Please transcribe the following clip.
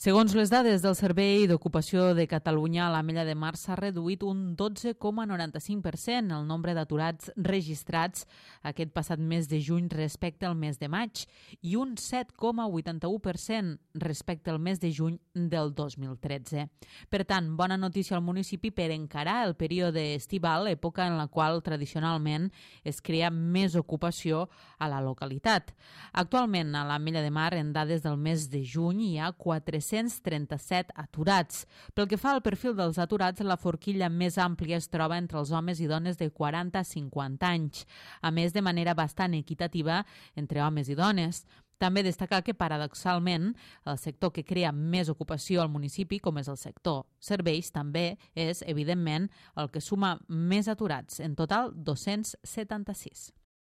Segons les dades del Servei d'Ocupació de Catalunya, a l'Ametlla de Mar s'ha reduït un 12,95% el nombre d'aturats registrats aquest passat mes de juny respecte al mes de maig i un 7,81% respecte al mes de juny del 2013. Per tant, bona notícia al municipi per encarar el període estival, època en la qual tradicionalment es crea més ocupació a la localitat. Actualment, a l'Ametlla de Mar, en dades del mes de juny, hi ha 437 aturats. Pel que fa al perfil dels aturats, la forquilla més àmplia es troba entre els homes i dones de 40 a 50 anys, a més de manera bastant equitativa entre homes i dones. També destacar que, paradoxalment, el sector que crea més ocupació al municipi, com és el sector serveis, també és, evidentment, el que suma més aturats, en total 276.